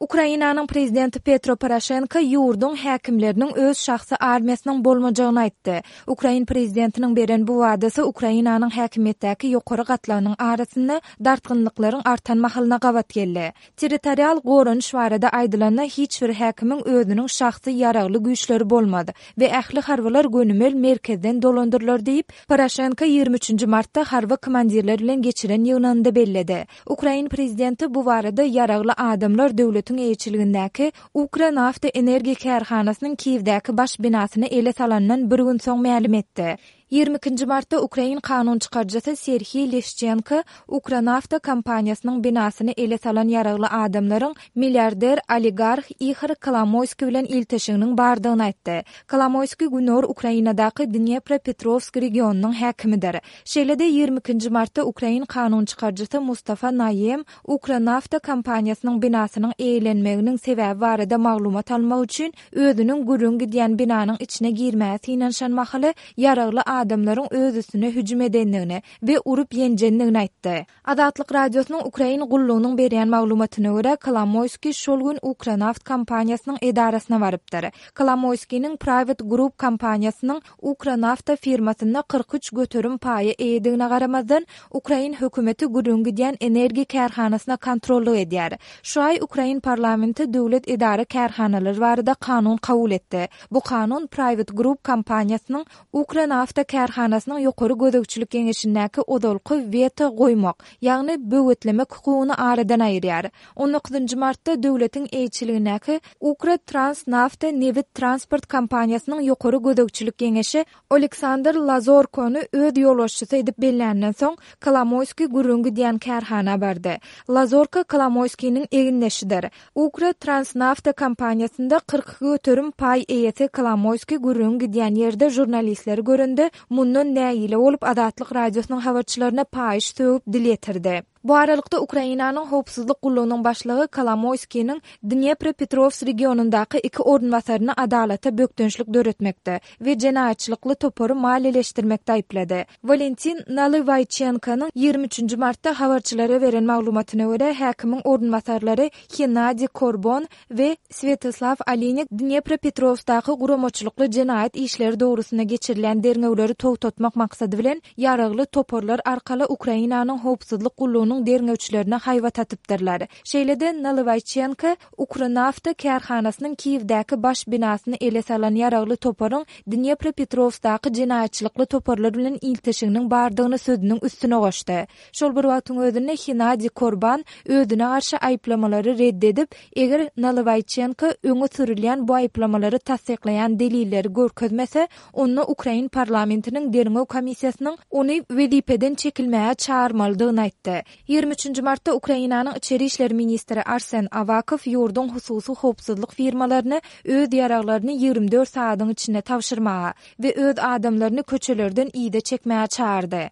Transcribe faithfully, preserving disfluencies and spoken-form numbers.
Ukrainanyň prezidenti Petro Poroşenko ýurduň häkimleriniň öz şahsy armiýasynyň bolmajagyny aýtdy. Ukrain prezidentiniň beren bu wadasy Ukrainanyň häkimiýetdäki ýokary gatlagynyň arasynda dartgynlyklaryň artan mahalyna gabat geldi. Territorial goranyş barada aýdylanda, hiç bir häkimiň özüniň şahsy ýaragly güýçleri bolmaz we ähli harbylar gönümel merkezden dolandyrylar diýip, Poroşenko ýigrimi üçünji martda harby komandirler bilen geçiren ýygnagynda belledi. Ukrain prezidenti bu barada ýaragly adamlar döwletiň eýeçiligindäki Ukranafta energiýa kärhanasynyň Kiýewdäki baş binasyny ele salandan bir gün soň mälim etdi. Ýigrimi ikinji martda ukrain kanun çykaryjysy Serhiý Leşçenko Ukranafta kompaniýasynyň binasyny ele salan ýaragly adamlaryň milliarder oligarh Ihor Kolomoýskiý bilen ilteşiginiň bardygyny aýtdy. Kolomoýskiý Günorta Ukrainadaky Dnepropetrowsk regionynyň häkimidir. Şeýle-de ýigrimi ikinji martda ukrain kanun çykaryjysy Mustafa Naýem Ukranafta kompaniýasynyň binasynyň eýelenmeginiň sebäbi barada maglumat almak üçin özüniň gürrüň gidýän binanyň içine girmäge synanyşan mahaly ýaragly adamlaryň öz üstüne hüjüm edendigini we urup ýenjendigini aýtdy. Azatlyk Radiosynyň Ukrain gullugynyň berýän maglumatyna görä, Kolomoýskiý şol gün Ukranaft kompaniýasynyň edarasyna barypdyr. Kolomoýskiniň Private Group kompaniýasynyň Ukranafta firmasynda kyrk üç göterim paýa eýedigine garamazdan, ukrain hökümeti gürrüň gidýän energiýa kärhanasyna kontrollyk edýär. Şu aý ukrain parlamenti döwlet edara-kärhanalary barada kanun kabul etdi. Bu kanun Private Group kompaniýasynyň Ukranafta kärhanasynyň ýokary gözegçilik geňeşindäki ozalky weto goýmak, ýagny böwetlemek hukugyny aradan aýyrýar. On dokuzynjy martda döwletiň eýeçiligindäki Ukrotransnafta nebit transport kompaniýasynyň ýokary gözegçilik geňeşi Oleksandr Lazorkony öz ýolbaşçysy edip belländen soň, Kolomoýskiý gürrüň gidýän kärhana bardy. Lazorko Kolomoýskiniň egindeşidir. Ukrotransnafta kompaniýasynda kyrk iki göterim paý eýesi Kolomoýskiý gürrüň gidýän ýerde žurnalistleri görende, mundan nägile bolup Azatlyk Radiosynyň habarçylaryna paýyş sögüp dil ýetirdi. Bu aralykda Ukrainanyň howpsuzlyk gullugynyň başlygy Kolomoýskiniň Dnepropetrowsk regionyndaky iki orunbasaryny adalata bökdençlik döretmekde we jenaýatçylykly topary maliýeleşdirmekde aýyplady. Walentin Nalywaýçenkonyň ýigrimi üçünji martda habarçylara beren maglumatyna görä, häkimiň orunbasarlary Hennadiý Korbon we Swetoslaw Olinik Dnepropetrowskdaky guramaçylykly jenaýat işleri dogrusynda geçirilýän derňewleri togtatmak maksady bilen ýaragly toparlar arkaly Ukrainanyň howpsuzlyk gullugynyň derňewçilerine haýbat atypdyrlar. Şeýle-de Nalywaýçenko Ukranafta kärhanasynyň Kiýewdäki baş binasyny ele salan ýaragly toparyň Dnepropetrowskdaky jenaýatçylykly toparlar bilen ilteşiginiň bardygyny sözüniň üstüne goşdy. Şol bir wagtyň özünde Hennadiý Korban özüne garşy aýyplamalary red edip, eger Nalywaýçenko öňe sürülýän bu aýyplamalary tassyklaýan delilleri görkezmese, onda ukrain parlamentiniň derňew komissiýasynyň ony wezipeden çekilmäge çagyrmalydygyny aýtdy. Ýigrimi üçünji martda Ukrainanyň içeri işler ministri Arsen Awakow ýurduň hususy howpsuzlyk firmalaryny öz ýaraglaryny ýigrimi dört sagadyň içinde tabşyrmaga we öz adamlaryny köçelerden yza çekmäge çagyrdy.